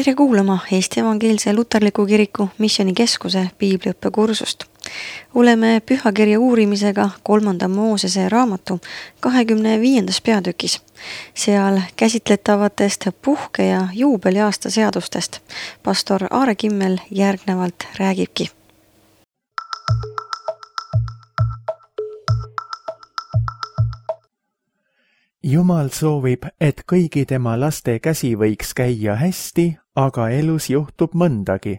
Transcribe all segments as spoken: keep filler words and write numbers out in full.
Tere kuulama Eesti Evangeelse Luterliku Kiriku Missioonikeskuse piibliõppekursust. Oleme pühakirja uurimisega kolmanda Moosese raamatu kahekümne viiendas peatükis. Seal käsitletavatest puhke- ja juubeliaasta seadustest pastor Aare Kimmel järgnevalt räägibki. Jumal soovib, et kõigi tema laste käsi võiks käia hästi, aga elus juhtub mõndagi.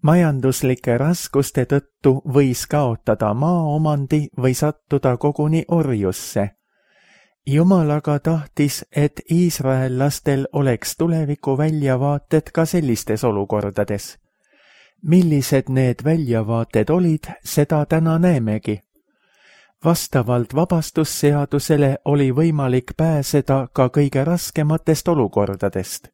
Majanduslike raskuste tõttu võis kaotada maaomandi või sattuda koguni orjusse. Jumal aga tahtis, et Iisrael lastel oleks tuleviku väljavaated ka sellistes olukordades. Millised need väljavaated olid, seda täna näemegi. Vastavalt vabastusseadusele oli võimalik pääseda ka kõige raskematest olukordadest.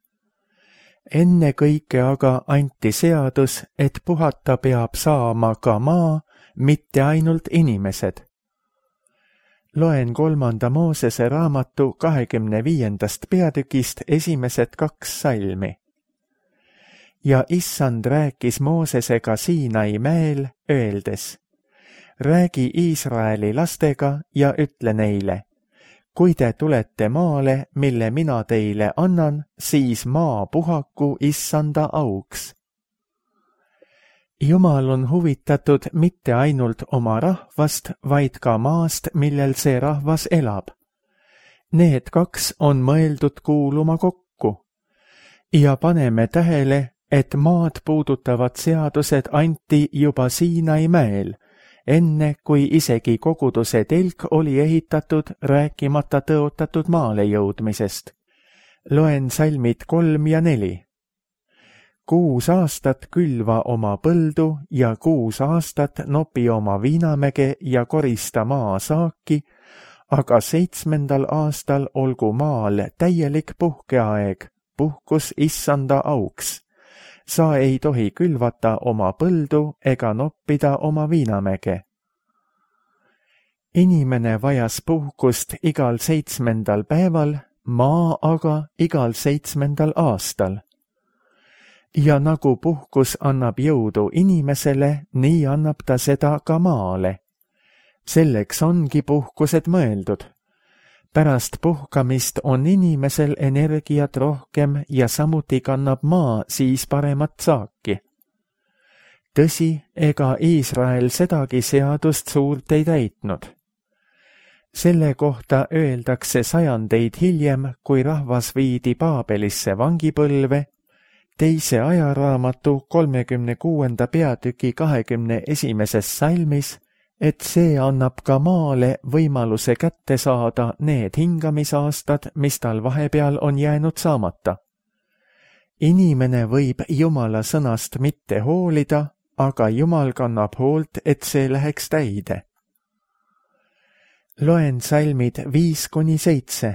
Enne kõike aga anti seadus, et puhata peab saama ka maa, mitte ainult inimesed. Loen kolmanda Moosese raamatu kahekümne viiendast peatükist esimesed kaks salmi. Ja Issand rääkis Moosesega Siinai mäel, öeldes: räägi Iisraeli lastega ja ütle neile: kui te tulete maale, mille mina teile annan, siis maa puhaku Issanda auks. Jumal on huvitatud mitte ainult oma rahvast, vaid ka maast, millel see rahvas elab. Need kaks on mõeldud kuuluma kokku. Ja paneme tähele, et maad puudutavad seadused anti juba Siinai mäel, enne kui isegi koguduse telk oli ehitatud, rääkimata tõotatud maale jõudmisest. Loen salmid kolm ja neli. Kuus aastat külva oma põldu ja kuus aastat nopi oma viinamäge ja korista maa saaki, aga seitsmendal aastal olgu maal täielik puhkeaeg, puhkus Issanda auks. Sa ei tohi külvata oma põldu ega noppida oma viinamäge. Inimene vajas puhkust igal seitsmendal päeval, maa aga igal seitsmendal aastal. Ja nagu puhkus annab jõudu inimesele, nii annab ta seda ka maale. Selleks ongi puhkused mõeldud. Pärast puhkamist on inimesel energiat rohkem ja samuti kannab maa siis paremat saaki. Tõsi, ega Iisrael sedagi seadust suurt ei täitnud. Selle kohta öeldakse sajandeid hiljem, kui rahvas viidi Paabelisse vangipõlve, teise ajaraamatu kolmekümne kuuenda peatüki kahekümne esimeses salmis, et see annab ka maale võimaluse kätte saada need hingamisaastad, mis tal vahepeal on jäänud saamata. Inimene võib Jumala sõnast mitte hoolida, aga Jumal kannab hoolt, et see läheks täide. Loen salmid viis kuni seitse.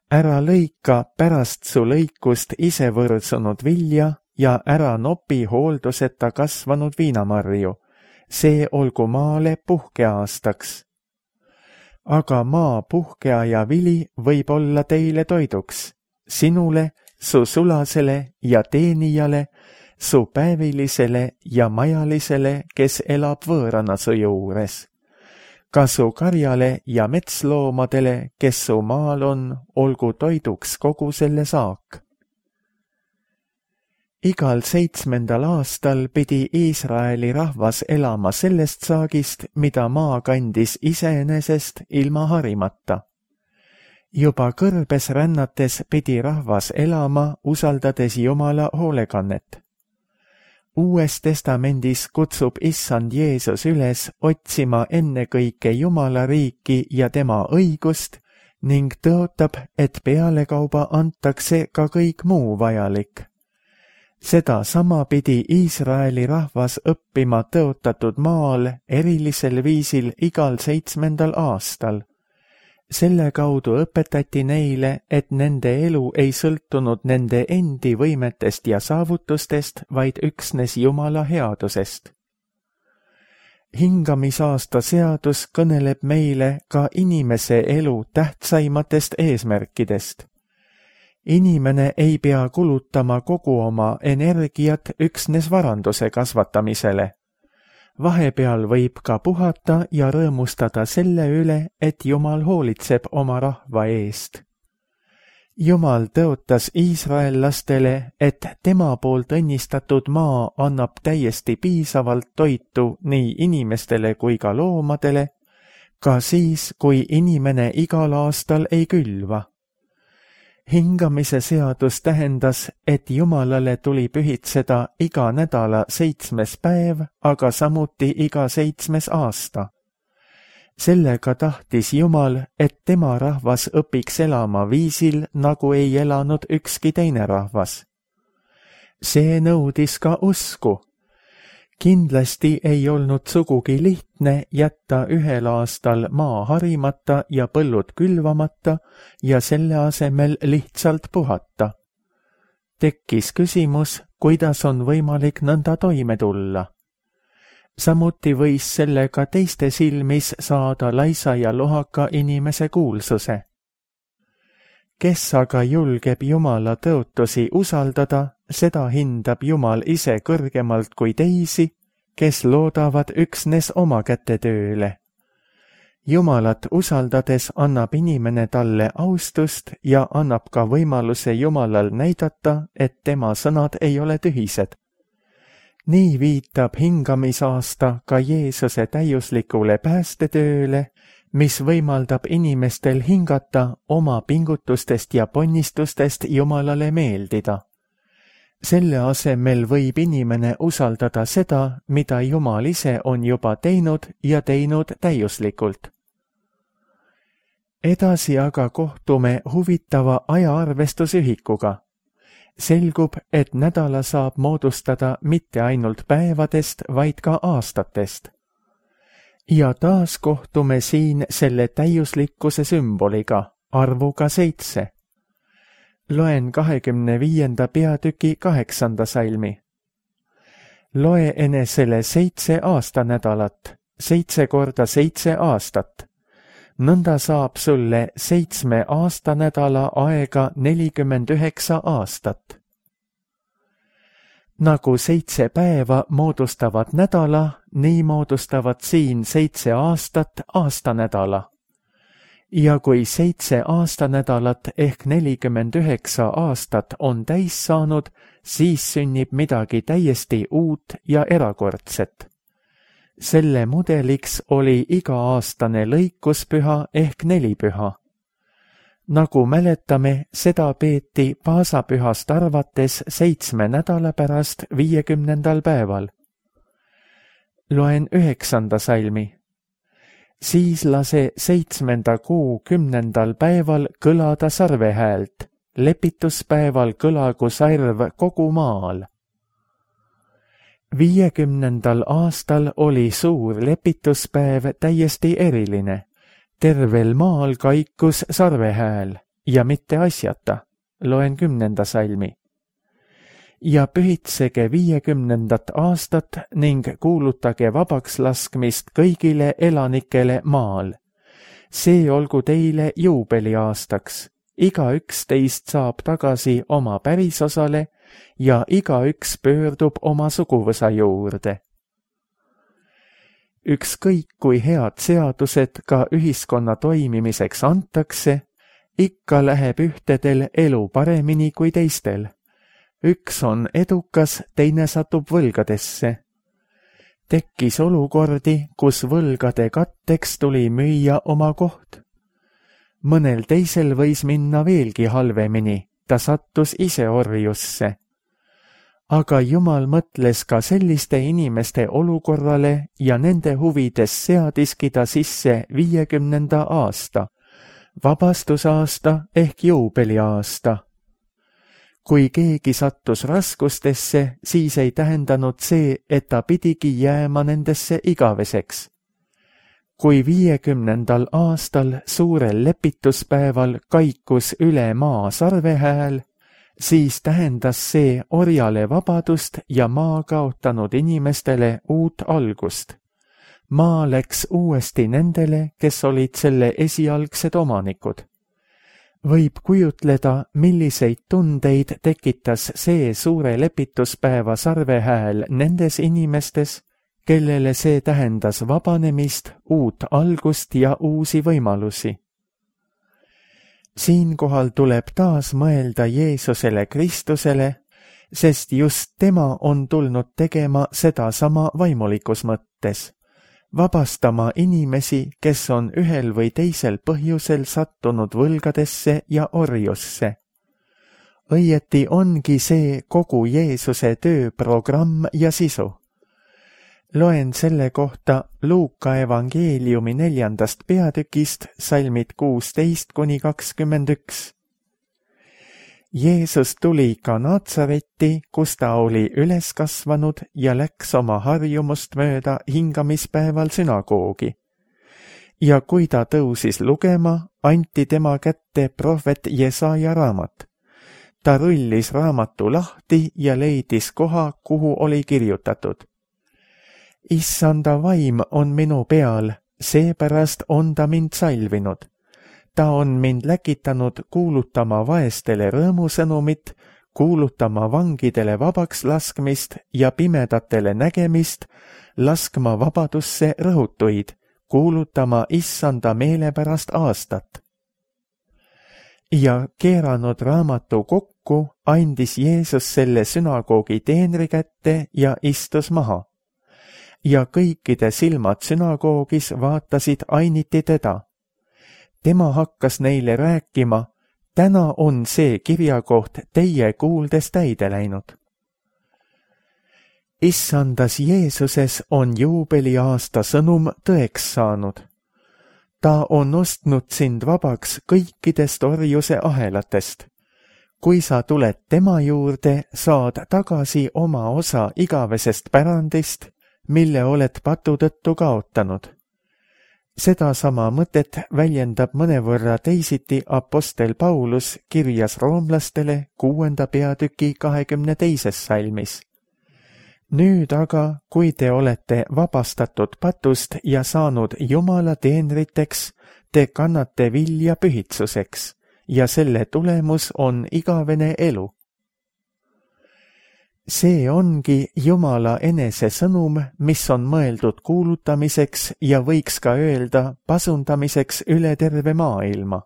Ära lõika pärast su lõikust ise võrdsunud vilja ja ära nopi hoolduseta kasvanud viinamarju. See olgu maale puhkeaastaks. Aga maa puhkeaja vili võib olla teile toiduks, sinule, su sulasele ja teenijale, su päevilisele ja majalisele, kes elab võõrana su juures. Ka su karjale ja metsloomadele, kes su maal on, olgu toiduks kogu selle saak. Igal seitsmendal aastal pidi Iisraeli rahvas elama sellest saagist, mida maa kandis iseenesest ilma harimata. Juba kõrbes rännates pidi rahvas elama, usaldades Jumala hoolekannet. Uues testamendis kutsub Issand Jeesus üles otsima ennekõike Jumala riiki ja tema õigust ning tõotab, et pealekauba antakse ka kõik muu vajalik. Seda sama pidi Iisraeli rahvas õppima tõotatud maal erilisel viisil igal seitsmendal aastal. Selle kaudu õpetati neile, et nende elu ei sõltunud nende endi võimetest ja saavutustest, vaid üksnes Jumala headusest. Hingamisaasta seadus kõneleb meile ka inimese elu tähtsaimatest eesmärkidest. Inimene ei pea kulutama kogu oma energiat üksnes varanduse kasvatamisele. Vahepeal võib ka puhata ja rõõmustada selle üle, et Jumal hoolitseb oma rahva eest. Jumal tõotas iisraellastele, et tema poolt õnnistatud maa annab täiesti piisavalt toitu nii inimestele kui ka loomadele, ka siis, kui inimene igal aastal ei külva. Hingamise seadus tähendas, et Jumalale tuli pühitseda iga nädala seitsmes päev, aga samuti iga seitsmes aasta. Sellega tahtis Jumal, et tema rahvas õpiks elama viisil, nagu ei elanud ükski teine rahvas. See nõudis ka usku. Kindlasti ei olnud sugugi lihtne jätta ühel aastal maa harimata ja põllud külvamata ja selle asemel lihtsalt puhata. Tekkis küsimus, kuidas on võimalik nõnda toime tulla. Samuti võis sellega teiste silmis saada laisa ja lohaka inimese kuulsuse. Kes aga julgeb Jumala tõotusi usaldada, seda hindab Jumal ise kõrgemalt kui teisi, kes loodavad üksnes oma kätetööle. Jumalat usaldades annab inimene talle austust ja annab ka võimaluse Jumalal näidata, et tema sõnad ei ole tühised. Nii viitab hingamisaasta ka Jeesuse täiuslikule päästetööle, mis võimaldab inimestel hingata oma pingutustest ja ponnistustest Jumalale meeldida. Selle asemel võib inimene usaldada seda, mida Jumal ise on juba teinud ja teinud täiuslikult. Edasi aga kohtume huvitava ajaarvestusühikuga. Selgub, et nädala saab moodustada mitte ainult päevadest, vaid ka aastatest. Ja taas kohtume siin selle täiuslikkuse sümboliga, arvuga seitse. Loen kahekümne viienda peatüki kaheksanda salmi. Loe enesele seitse aastanädalat, seitse korda seitse aastat. Nõnda saab sulle seitsme aastanädala aega nelikümmend üheksa aastat. Nagu seitse päeva moodustavad nädala, nii moodustavad siin seitse aastat aastanädala. Ja kui seitse aastanädalat ehk nelikümmend üheksa aastat on täis saanud, siis sünnib midagi täiesti uut ja erakordset. Selle mudeliks oli iga-aastane lõikuspüha ehk nelipüha. Nagu mäletame, seda peeti paasapühast arvates seitsme nädala pärast viiekümnendal päeval. Loen üheksanda salmi. Siis lase seitsmenda kuu kümnendal päeval kõlada sarvehäält, lepituspäeval kõlagu sarv kogu maal. Viiekümnendal aastal oli suur lepituspäev täiesti eriline. Tervel maal kaikus sarvehääl ja mitte asjata. Loen kümnenda salmi. Ja pühitsege viiekümnendat aastat ning kuulutage vabaks laskmist kõigile elanikele maal. See olgu teile juubeliaastaks. Igaüks teist saab tagasi oma pärisosale ja igaüks pöördub oma suguvõsa juurde. Ükskõik kui head seadused ka ühiskonna toimimiseks antakse, ikka läheb ühtedel elu paremini kui teistel. Üks on edukas, teine satub võlgadesse. Tekkis olukordi, kus võlgade katteks tuli müüa oma koht. Mõnel teisel võis minna veelgi halvemini, ta sattus ise orjusse. Aga Jumal mõtles ka selliste inimeste olukorrale ja nende huvides seadiski ta sisse viiekümnenda aasta, vabastusaasta ehk juubeliaasta. Kui keegi sattus raskustesse, siis ei tähendanud see, et ta pidigi jääma nendesse igaveseks. Kui viiekümnendal aastal suurel lepituspäeval kaikus üle maa sarvehääl, siis tähendas see orjale vabadust ja maa kaotanud inimestele uut algust. Maa läks uuesti nendele, kes olid selle esialgsed omanikud. Võib kujutleda, milliseid tundeid tekitas see suure lepituspäeva sarvehääl nendes inimestes, kellele see tähendas vabanemist, uut algust ja uusi võimalusi. Siinkohal tuleb taas mõelda Jeesusele Kristusele, sest just tema on tulnud tegema sedasama vaimulikus mõttes, vabastama inimesi, kes on ühel või teisel põhjusel sattunud võlgadesse ja orjusse. Õieti ongi see kogu Jeesuse tööprogramm ja sisu. Loen selle kohta Luuka evangeeliumi neljandast peatükist, salmid kuusteist kuni kakskümmend üks. Jeesus tuli ka Natsaretti, kus ta oli üles kasvanud ja läks oma harjumust mööda hingamispäeval sünagoogi. Ja kui ta tõusis lugema, anti tema kätte prohvet Jesaja raamat. Ta rullis raamatu lahti ja leidis koha, kuhu oli kirjutatud. Issanda vaim on minu peal, seepärast on ta mind salvinud. Ta on mind läkitanud kuulutama vaestele rõõmusõnumit, kuulutama vangidele vabaks laskmist ja pimedatele nägemist, laskma vabadusse rõhutuid, kuulutama issanda meelepärast aastat. Ja keeranud raamatu kokku, andis Jeesus selle sünagoogi teenri kätte ja istus maha. Ja kõikide silmad sünagoogis vaatasid ainiti teda. Tema hakkas neile rääkima, täna on see kirjakoht teie kuuldes täide läinud. Issandas Jeesuses on juubeliaasta sõnum tõeks saanud. Ta on ostnud sind vabaks kõikidest orjuse ahelatest. Kui sa tuled tema juurde, saad tagasi oma osa igavesest pärandist, mille oled patu tõttu kaotanud. Sedasama mõtet väljendab mõnevõrra teisiti apostel Paulus kirjas roomlastele kuuenda peatüki kahekümne teises salmis. Nüüd aga, kui te olete vabastatud patust ja saanud Jumala teenriteks, te kannate vilja pühitsuseks ja selle tulemus on igavene elu. See ongi Jumala enese sõnum, mis on mõeldud kuulutamiseks ja võiks ka öelda pasundamiseks üle terve maailma.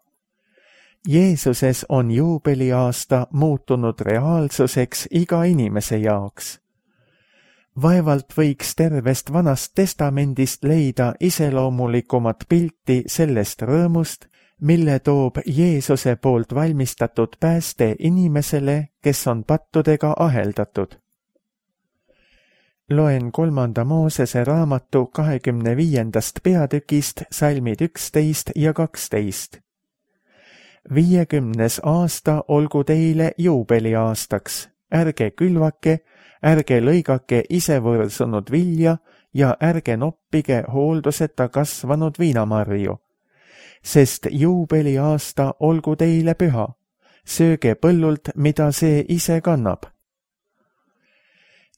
Jeesuses on juubeliaasta muutunud reaalsuseks iga inimese jaoks. Vaevalt võiks tervest vanast testamendist leida iseloomulikumat pilti sellest rõõmust, mille toob Jeesuse poolt valmistatud pääste inimesele, kes on pattudega aheldatud. Loen kolmanda Moosese raamatu kahekümne viiendast peatükist salmid üksteist ja kaksteist. Viiekümnes aasta olgu teile juubeliaastaks, ärge külvake, ärge lõigake ise võõrsunud vilja ja ärge noppige hoolduseta kasvanud viinamarju. Sest juubeliaasta olgu teile püha, sööge põllult, mida see ise kannab.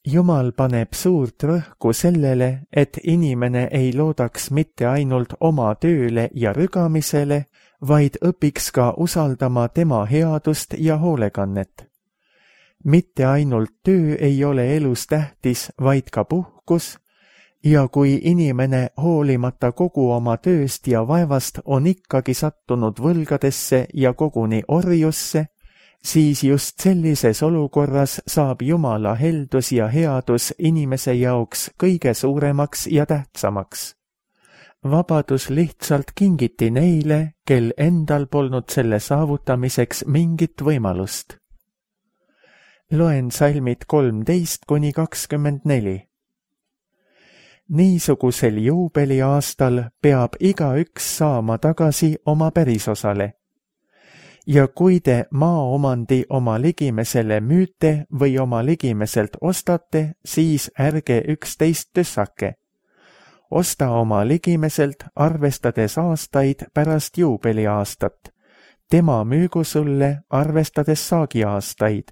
Jumal paneb suurt rõhku sellele, et inimene ei loodaks mitte ainult oma tööle ja rügamisele, vaid õpiks ka usaldama tema headust ja hoolekannet. Mitte ainult töö ei ole elus tähtis, vaid ka puhkus, ja kui inimene hoolimata kogu oma tööst ja vaevast on ikkagi sattunud võlgadesse ja koguni orjusse, siis just sellises olukorras saab Jumala heldus ja headus inimese jaoks kõige suuremaks ja tähtsamaks. Vabadus lihtsalt kingiti neile, kel endal polnud selle saavutamiseks mingit võimalust. Loen salmid kolmteist kuni kakskümmend neli. Niisugusel juubeliaastal peab igaüks saama tagasi oma pärisosale. Ja kui te maaomandi oma ligimesele müüte või oma ligimeselt ostate, siis ärge üksteist tüssake. Osta oma ligimeselt, arvestades aastaid pärast juubeliaastat. Tema müügu sulle, arvestades saagiaastaid.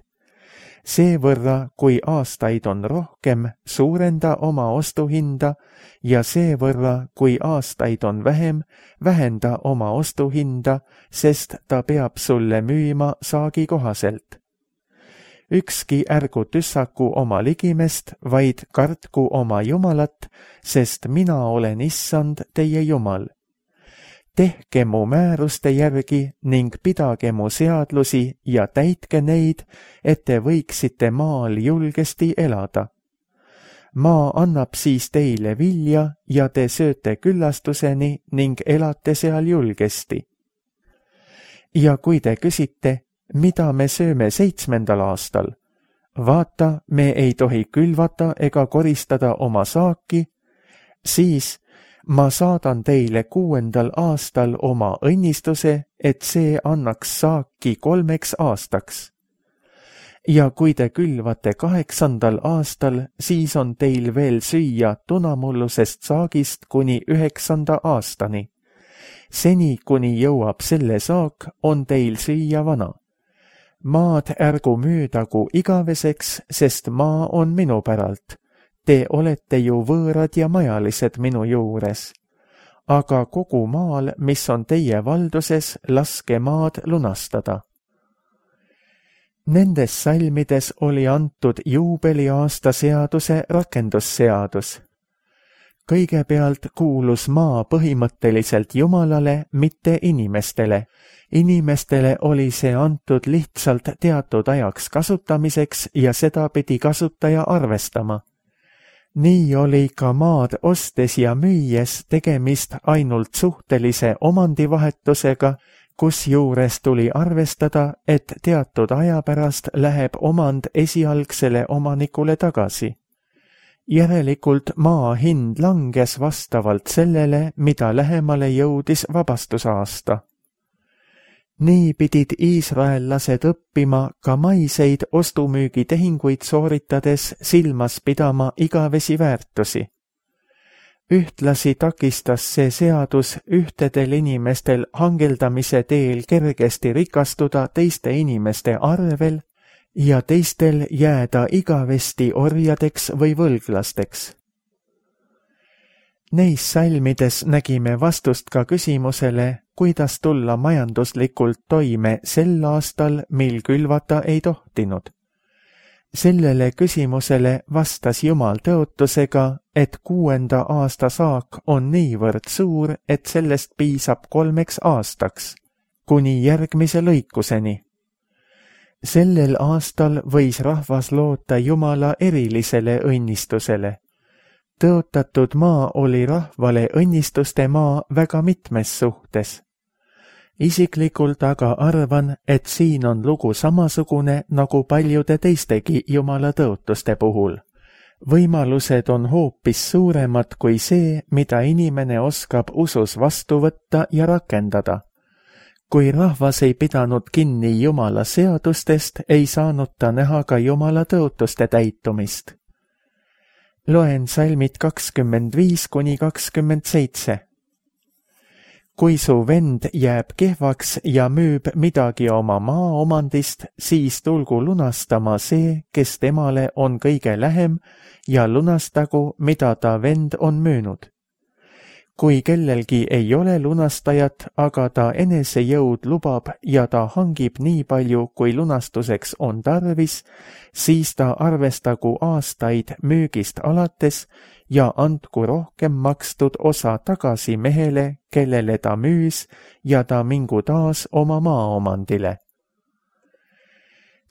seevõrra, kui aastaid on rohkem, suurenda oma ostuhinda ja seevõrra, kui aastaid on vähem, vähenda oma ostuhinda, sest ta peab sulle müüma saagi kohaselt. Ükski ärgu tüssaku oma ligimest, vaid kartku oma Jumalat, sest mina olen issand teie Jumal. Tehke mu määruste järgi ning pidage mu seadlusi ja täitke neid, et te võiksite maal julgesti elada. Maa annab siis teile vilja ja te sööte küllastuseni ning elate seal julgesti. Ja kui te küsite, mida me sööme seitsmendal aastal? Vaata, me ei tohi külvata ega koristada oma saaki, siis ma saadan teile kuuendal aastal oma õnnistuse, et see annaks saaki kolmeks aastaks. Ja kui te külvate kaheksandal aastal, siis on teil veel süüa tunamullusest saagist kuni üheksanda aastani. Seni, kuni jõuab selle saak, on teil süüa vana. Maad ärgu müüdagu igaveseks, sest maa on minu päralt. Te olete ju võõrad ja majalised minu juures. Aga kogu maal, mis on teie valduses, laske maad lunastada. Nendes salmides oli antud juubeliaasta seaduse rakendusseadus. Kõigepealt kuulus maa põhimõtteliselt Jumalale, mitte inimestele. Inimestele oli see antud lihtsalt teatud ajaks kasutamiseks ja seda pidi kasutaja arvestama. Nii oli ka maad ostes ja müües tegemist ainult suhtelise omandivahetusega, kusjuures tuli arvestada, et teatud aja pärast läheb omand esialgsele omanikule tagasi. Järelikult maa hind langes vastavalt sellele, mida lähemale jõudis vabastusaasta. Nii pidid iisraellased õppima ka maiseid ostumüügitehinguid sooritades silmas pidama igavesi väärtusi. Ühtlasi takistas see seadus ühtedel inimestel hangeldamise teel kergesti rikastuda teiste inimeste arvel ja teistel jääda igavesti orjadeks või võlglasteks. Neis salmides nägime vastust ka küsimusele, kuidas tulla majanduslikult toime sel aastal, mil külvata ei tohtinud. Sellele küsimusele vastas Jumal tõotusega, et kuuenda aasta saak on niivõrd suur, et sellest piisab kolmeks aastaks, kuni järgmise lõikuseni. Sellel aastal võis rahvas loota Jumala erilisele õnnistusele. Tõotatud maa oli rahvale õnnistuste maa väga mitmes suhtes. Isiklikult aga arvan, et siin on lugu samasugune nagu paljude teistegi Jumala tõotuste puhul. Võimalused on hoopis suuremad kui see, mida inimene oskab usus vastu võtta ja rakendada. Kui rahvas ei pidanud kinni Jumala seadustest, ei saanud ta näha ka Jumala tõotuste täitumist. Loen salmid kakskümmend viis kuni kakskümmend seitse. Kui su vend jääb kehvaks ja müüb midagi oma maaomandist, siis tulgu lunastama see, kes temale on kõige lähem, ja lunastagu, mida ta vend on müünud. Kui kellelgi ei ole lunastajat, aga ta enesejõud lubab ja ta hangib nii palju, kui lunastuseks on tarvis, siis ta arvestagu aastaid müügist alates ja andku rohkem makstud osa tagasi mehele, kellele ta müüs, ja ta mingu taas oma maaomandile.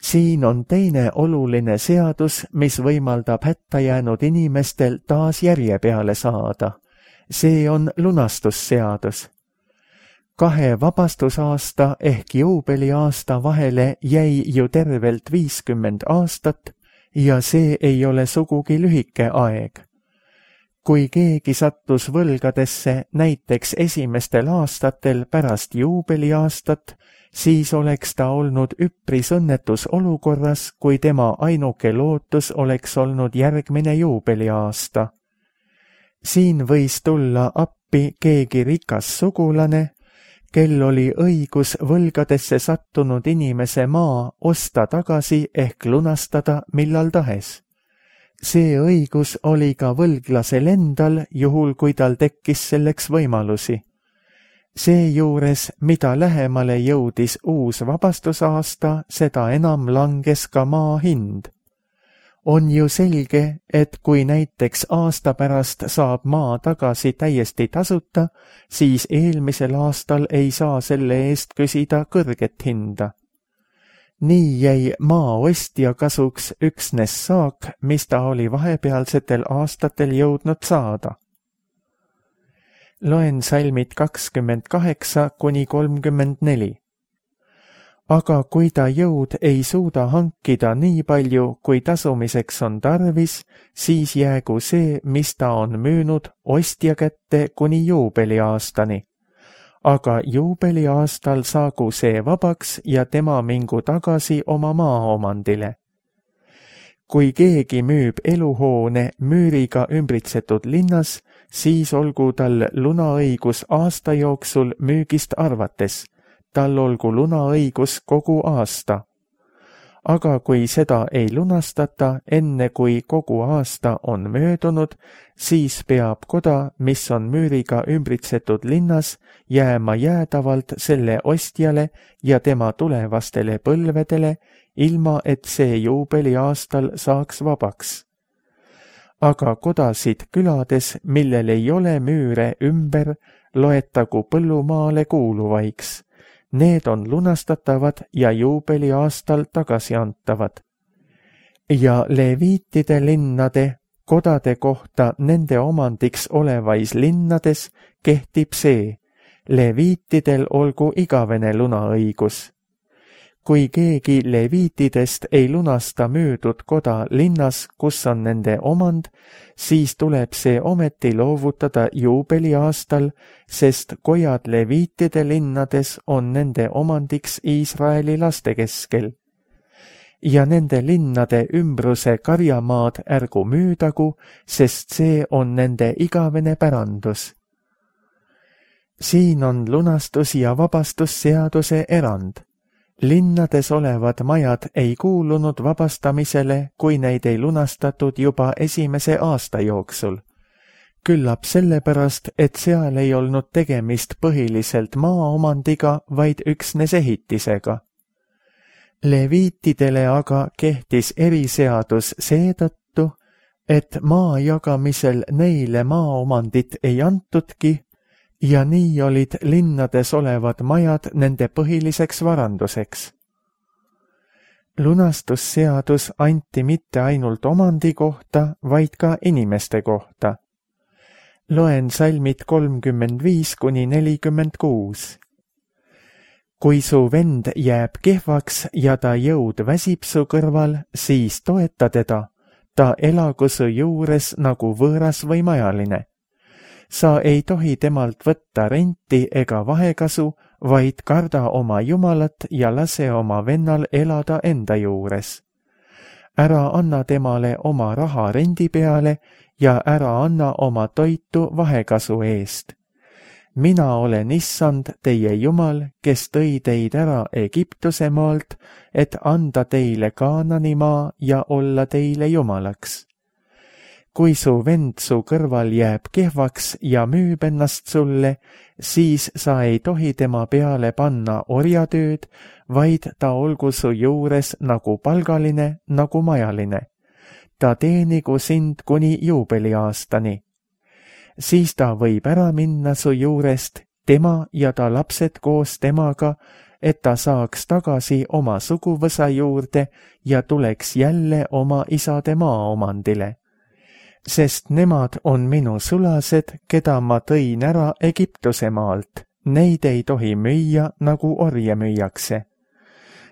Siin on teine oluline seadus, mis võimaldab hätta jäänud inimestel taas järje peale saada. See on lunastusseadus. Kahe vabastusaasta ehk juubeliaasta vahele jäi ju tervelt viiskümmend aastat ja see ei ole sugugi lühike aeg. Kui keegi sattus võlgadesse näiteks esimestel aastatel pärast juubeliaastat, siis oleks ta olnud üpris õnnetus olukorras, kui tema ainuke lootus oleks olnud järgmine juubeliaasta. Siin võis tulla appi keegi rikas sugulane, kel oli õigus võlgadesse sattunud inimese maa osta tagasi ehk lunastada millal tahes. See õigus oli ka võlglasel endal, juhul kui tal tekkis selleks võimalusi. Seejuures, mida lähemale jõudis uus vabastusaasta, seda enam langes ka maa hind. On ju selge, et kui näiteks aasta pärast saab maa tagasi täiesti tasuta, siis eelmisel aastal ei saa selle eest küsida kõrget hinda. Nii jäi maa ostja kasuks üksnes saak, mis ta oli vahepealsetel aastatel jõudnud saada. Loen salmid kakskümmend kaheksa kuni kolmkümmend neli. Aga kui ta jõud ei suuda hankida nii palju, kui tasumiseks on tarvis, siis jäägu see, mis ta on müünud, ostja kätte kuni juubeliaastani. Aga juubeliaastal saagu see vabaks ja tema mingu tagasi oma maaomandile. Kui keegi müüb eluhoone müüriga ümbritsetud linnas, siis olgu tal lunaõigus aasta jooksul müügist arvates. Tal olgu lunaõigus kogu aasta. Aga kui seda ei lunastata, enne kui kogu aasta on möödunud, siis peab koda, mis on müüriga ümbritsetud linnas, jääma jäädavalt selle ostjale ja tema tulevastele põlvedele, ilma et see juubeliaastal saaks vabaks. Aga kodasid külades, millel ei ole müüre ümber, loetagu põllumaale kuuluvaiks. Need on lunastatavad ja juubeliaastal tagasi antavad. Ja leviitide linnade, kodade kohta nende omandiks olevais linnades kehtib see, leviitidel olgu igavene lunaõigus. Kui keegi leviitidest ei lunasta müüdud koda linnas, kus on nende omand, siis tuleb see ometi loovutada juubeliaastal, sest kojad leviitide linnades on nende omandiks Iisraeli laste keskel. Ja nende linnade ümbruse karjamaad ärgu müüdagu, sest see on nende igavene pärandus. Siin on lunastus- ja vabastusseaduse erand. Linnades olevad majad ei kuulunud vabastamisele, kui neid ei lunastatud juba esimese aasta jooksul. Küllap sellepärast, et seal ei olnud tegemist põhiliselt maaomandiga, vaid üksnes ehitisega. Leviitidele aga kehtis eriseadus seetõttu, et maa jagamisel neile maaomandit ei antudki, ja nii olid linnades olevad majad nende põhiliseks varanduseks. Lunastusseadus anti mitte ainult omandi kohta, vaid ka inimeste kohta. Loen salmid kolmkümmend viis kuni nelikümmend kuus. Kui su vend jääb kehvaks ja ta jõud väsib su kõrval, siis toeta teda, ta elagu su juures nagu võõras või majaline. Sa ei tohi temalt võtta renti ega vahekasu, vaid karda oma Jumalat ja lase oma vennal elada enda juures. Ära anna temale oma raha rendi peale ja ära anna oma toitu vahekasu eest. Mina olen issand, teie Jumal, kes tõi teid ära Egiptuse maalt, et anda teile Kaanani maa ja olla teile Jumalaks. Kui su vend su kõrval jääb kehvaks ja müüb ennast sulle, siis sa ei tohi tema peale panna orjatööd, vaid ta olgu su juures nagu palgaline, nagu majaline. Ta teenigu sind kuni juubeliaastani. Siis ta võib ära minna su juurest, tema ja ta lapsed koos temaga, et ta saaks tagasi oma suguvõsa juurde ja tuleks jälle oma isade maaomandile. Sest nemad on minu sulased, keda ma tõin ära Egiptuse maalt. Neid ei tohi müüa, nagu orje müüakse.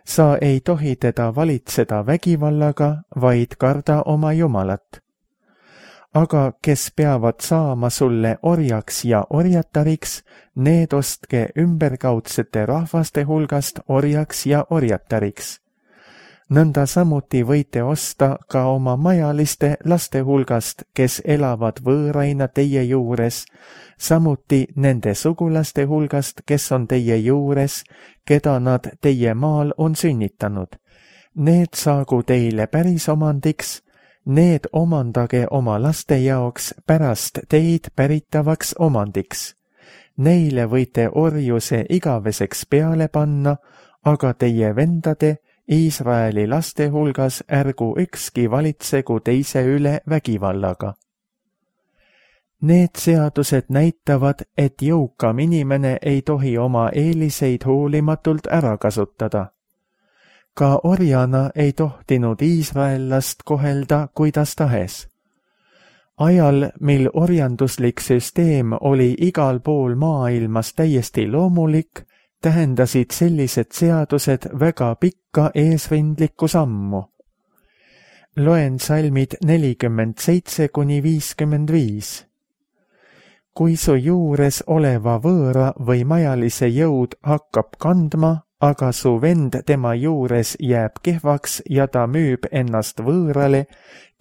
Sa ei tohi teda valitseda vägivallaga, vaid karda oma Jumalat. Aga kes peavad saama sulle orjaks ja orjatariks, need ostke ümberkaudsete rahvaste hulgast orjaks ja orjatariks. nõnda samuti võite osta ka oma majaliste laste hulgast, kes elavad võõraina teie juures, samuti nende sugulaste hulgast, kes on teie juures, keda nad teie maal on sünnitanud. Need saagu teile päris omandiks, need omandage oma laste jaoks pärast teid päritavaks omandiks. Neile võite orjuse igaveseks peale panna, aga teie vendade Iisraeli laste hulgas ärgu ükski valitsegu teise üle vägivallaga. Need seadused näitavad, et jõukam inimene ei tohi oma eeliseid hoolimatult ära kasutada. Ka orjana ei tohtinud iisraellast kohelda kuidas tahes. Ajal, mil orjanduslik süsteem oli igal pool maailmas täiesti loomulik, tähendasid sellised seadused väga pikka eesrindlikku sammu. Loen salmid nelikümmend seitse kuni viiskümmend viis. Kui su juures oleva võõra või majalise jõud hakkab kandma, aga su vend tema juures jääb kehvaks ja ta müüb ennast võõrale,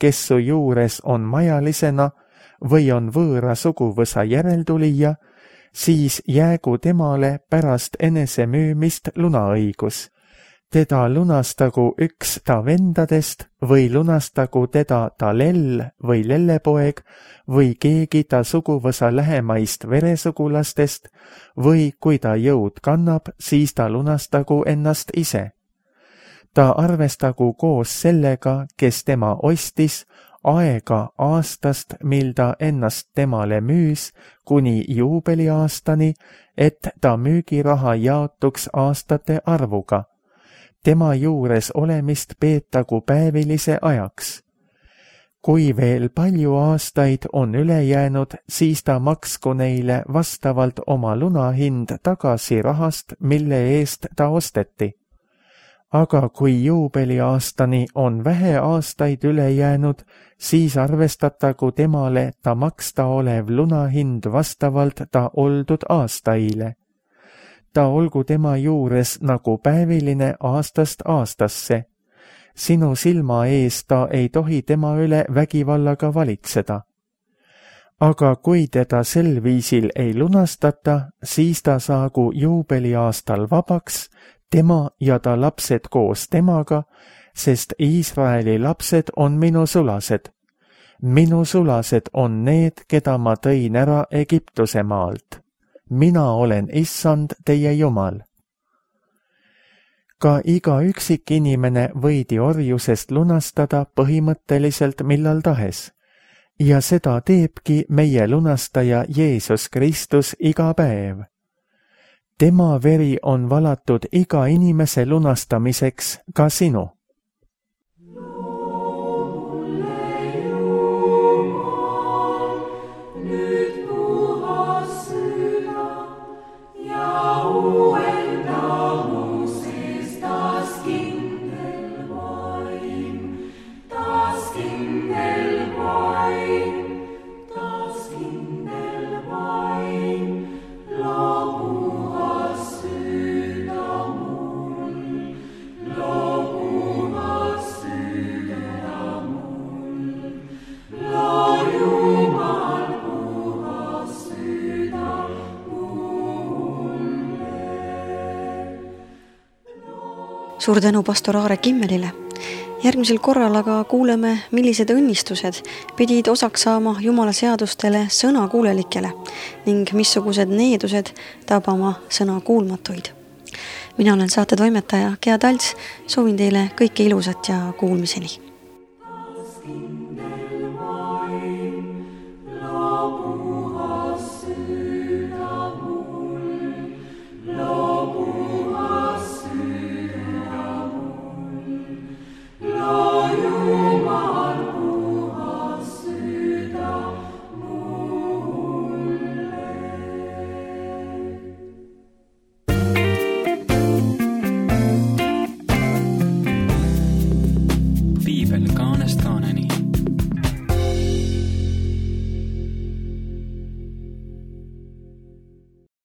kes su juures on majalisena või on võõra suguvõsa järeltulija, siis jäägu temale pärast enese müümist lunaõigus. Teda lunastagu üks ta vendadest või lunastagu teda ta lell või lellepoeg või keegi ta suguvõsa lähemaist veresugulastest või kui ta jõud kannab, siis ta lunastagu ennast ise. Ta arvestagu koos sellega, kes tema ostis, aega aastast, mil ta ennast temale müüs, kuni juubeliaastani, et ta müügiraha jaotuks aastate arvuga. Tema juures olemist peetagu päevilise ajaks. Kui veel palju aastaid on üle jäänud, siis ta maksku neile vastavalt oma lunahind tagasi rahast, mille eest ta osteti. Aga kui juubeliaastani on vähe aastaid üle jäänud, siis arvestatagu temale ta maksta olev lunahind vastavalt ta oldud aastaile. Ta olgu tema juures nagu päeviline aastast aastasse. Sinu silma ees ta ei tohi tema üle vägivallaga valitseda. Aga kui teda sel viisil ei lunastata, siis ta saagu juubeliaastal vabaks, tema ja ta lapsed koos temaga, sest Iisraeli lapsed on minu sulased. Minu sulased on need, keda ma tõin ära Egiptuse maalt. Mina olen issand teie Jumal. Ka iga üksik inimene võidi orjusest lunastada põhimõtteliselt millal tahes. Ja seda teebki meie lunastaja Jeesus Kristus iga päev. Tema veri on valatud iga inimese lunastamiseks, ka sinu. Suur tänu pastor Aare Kimmelile. Järgmisel korral aga kuuleme, millised õnnistused pidid osaks saama Jumala seadustele sõnakuulelikele ning missugused needused tabama sõna kuulmatuid. Mina olen saate toimetaja Gea Talts, soovin teile kõike ilusat ja kuulmiseni.